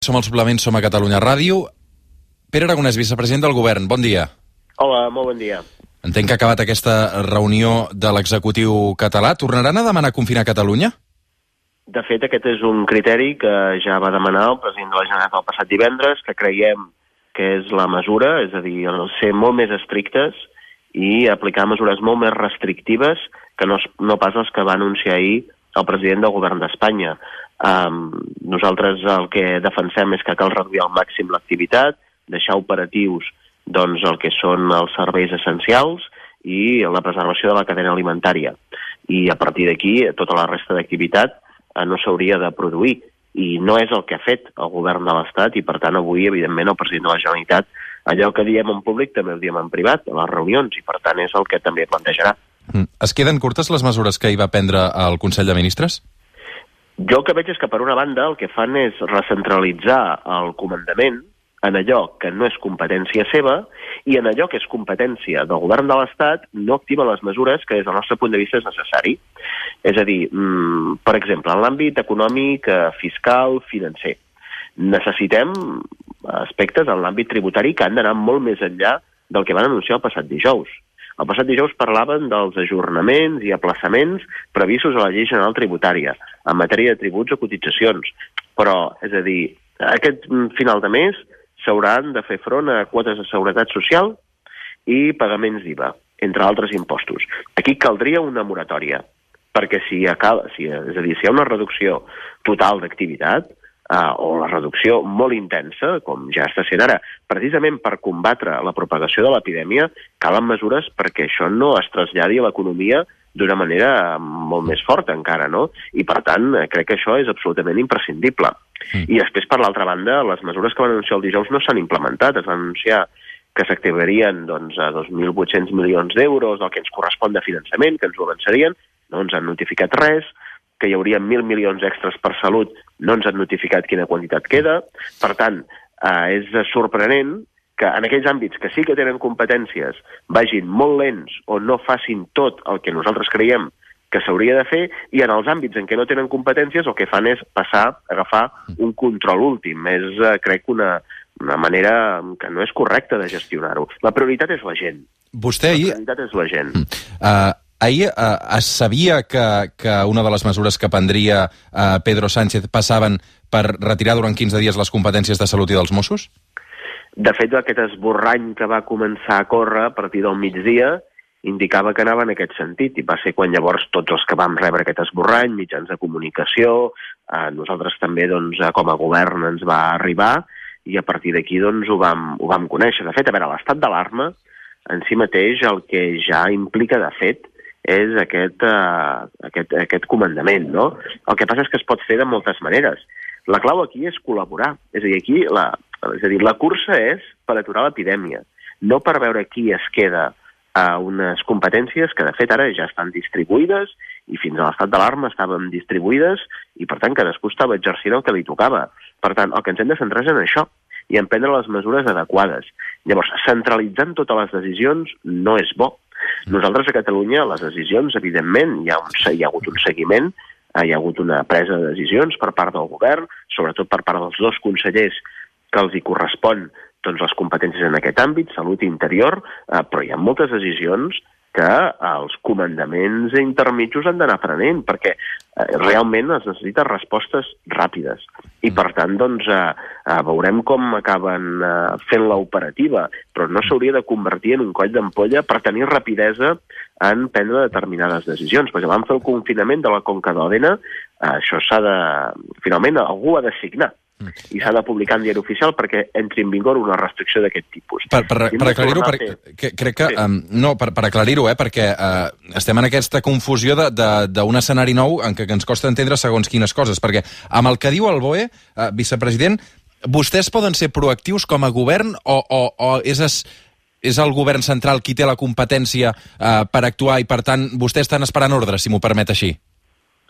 Som al Suplement, som a Catalunya Ràdio. Pere Aragonès, vicepresident del Govern, bon dia. Hola, molt bon dia. Entenc que ha acabat aquesta reunió de l'executiu català. Tornaran a demanar confinar Catalunya? De fet, aquest és un criteri que ja va demanar el president de la Generalitat el passat divendres, que creiem que és la mesura, és a dir, ser molt més estrictes i aplicar mesures molt més restrictives que no pas les que va anunciar ahir el president del Govern d'Espanya. Nosaltres el que defensem és que cal reduir al màxim l'activitat, deixar operatius doncs, el que són els serveis essencials i la preservació de la cadena alimentària. I a partir d'aquí, tota la resta d'activitat no s'hauria de produir. I no és el que ha fet el govern de l'Estat i, per tant, avui, evidentment, el president de la Generalitat, allò que diem en públic també ho diem en privat, a les reunions, i, per tant, és el que també plantejarà. Es queden curtes les mesures que hi va prendre el Consell de Ministres? Jo el que veig és que, per una banda, el que fan és recentralitzar el comandament en allò que no és competència seva i en allò que és competència del govern de l'Estat no activa les mesures que des del nostre punt de vista és necessari. És a dir, per exemple, en l'àmbit econòmic, fiscal, financer, necessitem aspectes en l'àmbit tributari que han d'anar molt més enllà del que van anunciar el passat dijous. El passat dijous parlaven dels ajornaments i aplaçaments previstos a la Llei General Tributària en matèria de tributs o cotitzacions. Però, és a dir, aquest final de mes s'hauran de fer front a quotes de seguretat social i pagaments d'IVA, entre altres impostos. Aquí caldria una moratòria, perquè si hi ha una reducció total d'activitat, o la reducció molt intensa, com ja està sent ara, precisament per combatre la propagació de l'epidèmia, calen mesures perquè això no es traslladi a l'economia d'una manera molt més forta encara, no? I, per tant, crec que això és absolutament imprescindible. I després, per l'altra banda, les mesures que van anunciar el dijous no s'han implementat. Es van anunciar que s'activarien a 2.800 milions d'euros del que ens correspon de finançament, que ens ho avançarien, no ens han notificat res, que hi hauria 1.000 milions extras per salut, no ens han notificat quina quantitat queda. Per tant, és sorprenent que en aquells àmbits que sí que tenen competències vagin molt lents o no facin tot el que nosaltres creiem que s'hauria de fer, i en els àmbits en què no tenen competències el que fan és agafar un control últim. És, crec, una manera que no és correcta de gestionar-ho. La prioritat és la gent. Vostè ahir... La prioritat és la gent. Ahir es sabia que una de les mesures que prendria Pedro Sánchez passaven per retirar durant 15 dies les competències de salut i dels Mossos? De fet, aquest esborrany que va començar a córrer a partir del migdia indicava que anava en aquest sentit, i va ser quan llavors tots els que vam rebre aquest esborrany, mitjans de comunicació, nosaltres també com a govern ens va arribar, i a partir d'aquí ho vam conèixer. De fet, a veure, l'estat d'alarma en si mateix el que ja implica de fet és aquest comandament, no? El que passa és que es pot fer de moltes maneres. La clau aquí és col·laborar. És a dir, aquí la cursa és per aturar l'epidèmia, no per veure qui es queda a unes competències que, de fet, ara ja estan distribuïdes i fins a l'estat d'alarma estaven distribuïdes i, per tant, cadascú estava exercint el que li tocava. Per tant, el que ens hem de centrar és en això i en prendre les mesures adequades. Llavors, centralitzant totes les decisions no és bo. Nosaltres a Catalunya, les decisions, evidentment, hi ha hagut un seguiment, hi ha hagut una presa de decisions per part del govern, sobretot per part dels dos consellers que els hi correspon les competències en aquest àmbit, salut i interior, però hi ha moltes decisions que els comandaments intermitjos han d'anar prenent, perquè realment es necessiten respostes ràpides. I, per tant, veurem com acaben fent l'operativa, però no s'hauria de convertir en un coll d'ampolla per tenir rapidesa en prendre determinades decisions, perquè vam fer el confinament de la Conca d'Òdena, això finalment algú ha de signar, i s'ha de publicar en diari oficial perquè entri en vigor una restricció d'aquest tipus. Per aclarir-ho, crec que... No, per aclarir-ho, perquè estem en aquesta confusió d'un escenari nou en què ens costa entendre segons quines coses, perquè amb el que diu el BOE, vicepresident, vostès poden ser proactius com a govern o és el govern central qui té la competència per actuar i, per tant, vostès estan esperant ordres, si m'ho permet així?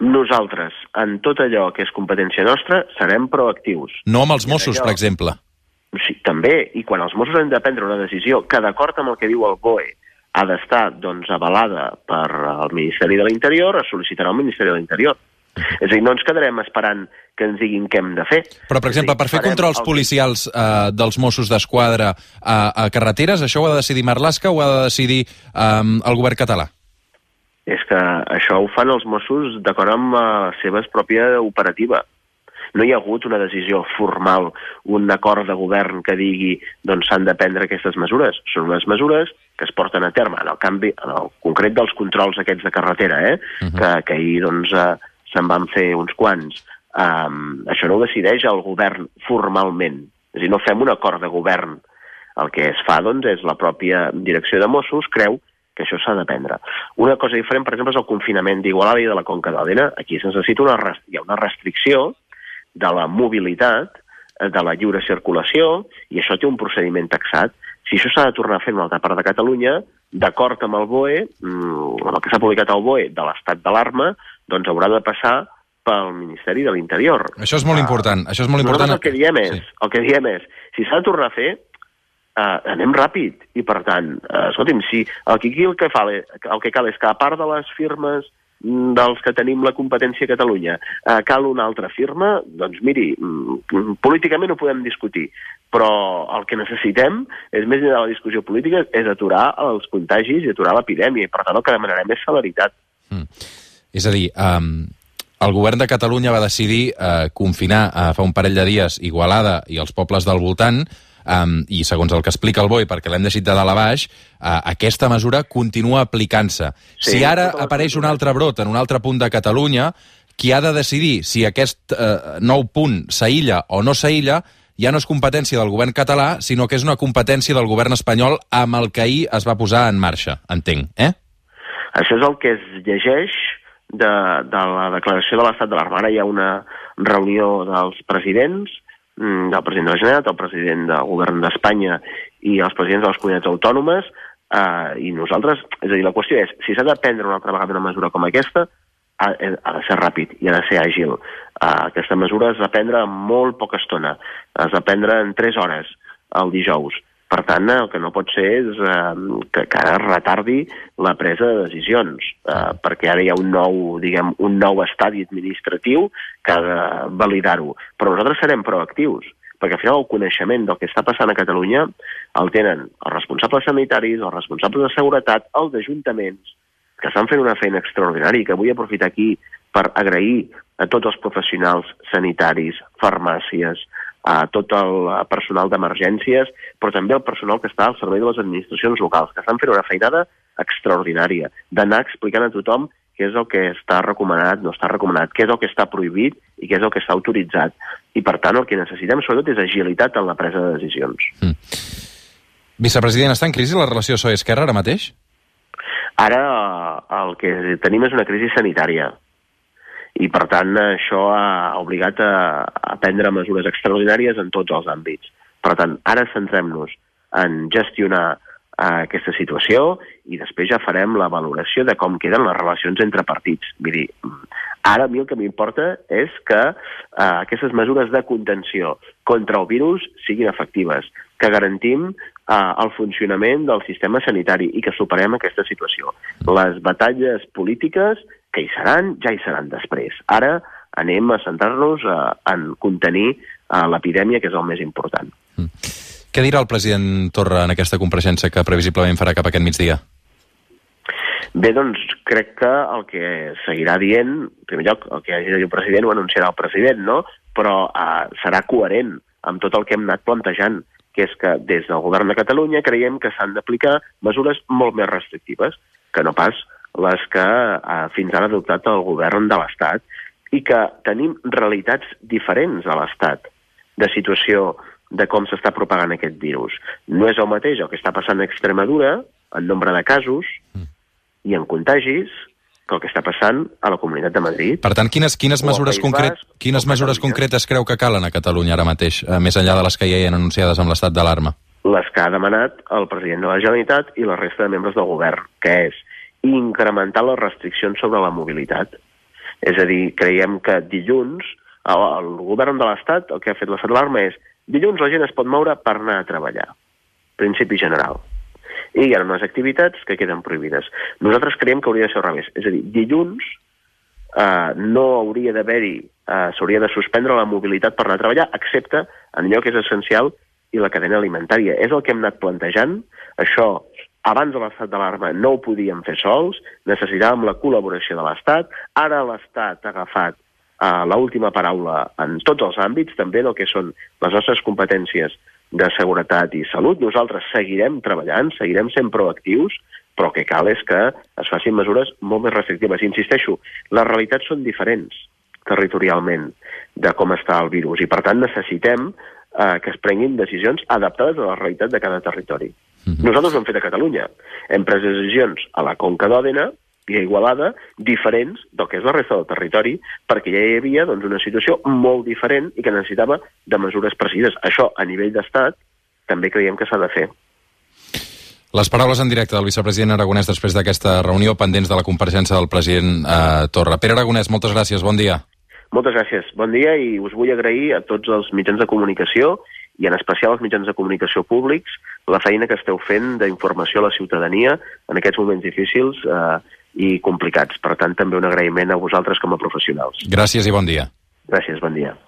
Nosaltres, en tot allò que és competència nostra, serem proactius. No amb els Mossos, per exemple. Sí, també, i quan els Mossos han de prendre una decisió que, d'acord amb el que diu el BOE, ha d'estar avalada per el Ministeri de l'Interior, es sol·licitarà al Ministeri de l'Interior. És a dir, no ens quedarem esperant que ens diguin què hem de fer. Però, per exemple, per fer controls policials dels Mossos d'Esquadra a carreteres, això ho ha de decidir Marlaska o ho ha de decidir el govern català? És que això ho fan els Mossos d'acord amb la seva pròpia operativa. No hi ha hagut una decisió formal, un acord de govern que digui doncs s'han de prendre aquestes mesures. Són unes mesures que es porten a terme. En el concret dels controls aquests de carretera, que ahir doncs, se'n van fer uns quants. Això no ho decideix el govern formalment. És a dir, no fem un acord de govern. El que es fa doncs, és la pròpia direcció de Mossos creu que això s'ha de prendre. Una cosa diferent, per exemple, és el confinament d'Igualada i de la Conca d'Òdena. Aquí es necessita hi ha una restricció de la mobilitat, de la lliure circulació, i això té un procediment taxat. Si això s'ha de tornar a fer en una altra part de Catalunya, d'acord amb el BOE, amb el que s'ha publicat al BOE de l'estat d'alarma, doncs haurà de passar pel Ministeri de l'Interior. Això és molt important. Això és molt important. El que diem és, si s'ha de tornar a fer, anem ràpid. I, per tant, escolti'm, si el que cal és que, a part de les firmes dels que tenim la competència a Catalunya, cal una altra firma, doncs miri, políticament ho podem discutir, però el que necessitem, és més enllà de la discussió política, és aturar els contagis i aturar l'epidèmia, i per tant el que demanarem és celeritat. És a dir, el govern de Catalunya va decidir confinar fa un parell de dies Igualada i els pobles del voltant, i segons el que explica el BOE, perquè l'hem deixat de dalt a baix, aquesta mesura continua aplicant-se. Sí, si ara apareix un altre brot en un altre punt de Catalunya, qui ha de decidir si aquest nou punt s'aïlla o no s'aïlla ja no és competència del govern català, sinó que és una competència del govern espanyol amb el que ahir es va posar en marxa, entenc, Això és el que es llegeix de la declaració de l'estat d'alarma. Ara hi ha una reunió dels presidents, del president de la Generalitat, el president del govern d'Espanya i els presidents de les comunitats autònomes, i nosaltres, és a dir, la qüestió és, si s'ha de prendre una altra vegada una mesura com aquesta, ha de ser ràpid i ha de ser àgil. Aquesta mesura es va prendre en molt poca estona, es va prendre en 3 hores el dijous. Per tant, el que no pot ser és que ara retardi la presa de decisions, perquè ara hi ha un nou estadi administratiu que ha de validar-ho. Però nosaltres serem proactius, perquè al final el coneixement del que està passant a Catalunya el tenen els responsables sanitaris, els responsables de seguretat, els ajuntaments, que estan fent una feina extraordinària i que vull aprofitar aquí per agrair a tots els professionals sanitaris, farmàcies, a tot el personal d'emergències, però també el personal que està al servei de les administracions locals, que estan fent una feinada extraordinària, d'anar explicant a tothom què és el que està recomanat, no està recomanat, què és el que està prohibit i què és el que està autoritzat. I, per tant, el que necessitem, sobretot, és agilitat en la presa de decisions. Vicepresident, està en crisi la relació PSOE-Esquerra ara mateix? Ara el que tenim és una crisi sanitària. I, per tant, això ha obligat a prendre mesures extraordinàries en tots els àmbits. Per tant, ara centrem-nos en gestionar aquesta situació i després ja farem la valoració de com queden les relacions entre partits. Vull dir, ara a mi el que m'importa és que aquestes mesures de contenció contra el virus siguin efectives, que garantim el funcionament del sistema sanitari i que superem aquesta situació. Les batalles polítiques que hi seran, ja hi seran després. Ara anem a centrar-nos en contenir l'epidèmia, que és el més important. Què dirà el president Torra en aquesta compareixença que previsiblement farà cap aquest migdia? Bé, doncs crec que el que seguirà dient, en primer lloc, el que hagi de dir el president ho anunciarà el president, no? Però serà coherent amb tot el que hem anat plantejant, que és que des del govern de Catalunya creiem que s'han d'aplicar mesures molt més restrictives que no pas les que fins ara ha adoptat el govern de l'Estat, i que tenim realitats diferents a l'Estat de situació de com s'està propagant aquest virus. No és el mateix el que està passant a Extremadura en nombre de casos i en contagis que el que està passant a la Comunitat de Madrid. Per tant, quines mesures concretes creu que calen a Catalunya ara mateix, més enllà de les que ja hi ha anunciades amb l'estat d'alarma? Les que ha demanat el president de la Generalitat i la resta de membres del govern, que és incrementar les restriccions sobre la mobilitat. És a dir, creiem que dilluns el govern de l'Estat, el que ha fet l'estat d'alarma és dilluns la gent es pot moure per anar a treballar. Principi general. I hi ha unes activitats que queden prohibides. Nosaltres creiem que hauria de ser al revés. És a dir, dilluns no hauria d'haver-hi, s'hauria de suspendre la mobilitat per anar a treballar, excepte en allò que és essencial i la cadena alimentària. És el que hem anat plantejant. Això, abans de l'estat d'alarma, no ho podíem fer sols, necessitàvem la col·laboració de l'Estat. Ara l'Estat ha agafat l'última paraula en tots els àmbits, també en el que són les nostres competències de seguretat i salut. Nosaltres seguirem treballant, seguirem sent proactius, però el que cal és que es facin mesures molt més restrictives. Insisteixo, les realitats són diferents territorialment de com està el virus i, per tant, necessitem que es prenguin decisions adaptades a la realitat de cada territori. Nosaltres ho hem fet a Catalunya. Hem pres decisions a la Conca d'Òdena i a Igualada diferents del que és la resta del territori, perquè ja hi havia una situació molt diferent i que necessitava de mesures precises. Això, a nivell d'estat, també creiem que s'ha de fer. Les paraules en directe del vicepresident Aragonès després d'aquesta reunió pendents de la compareixença del president Torra. Pere Aragonès, moltes gràcies, bon dia. Moltes gràcies, bon dia, i us vull agrair a tots els mitjans de comunicació i en especial als mitjans de comunicació públics la feina que esteu fent d'informació a la ciutadania en aquests moments difícils i complicats. Per tant, també un agraïment a vosaltres com a professionals. Gràcies i bon dia. Gràcies, bon dia.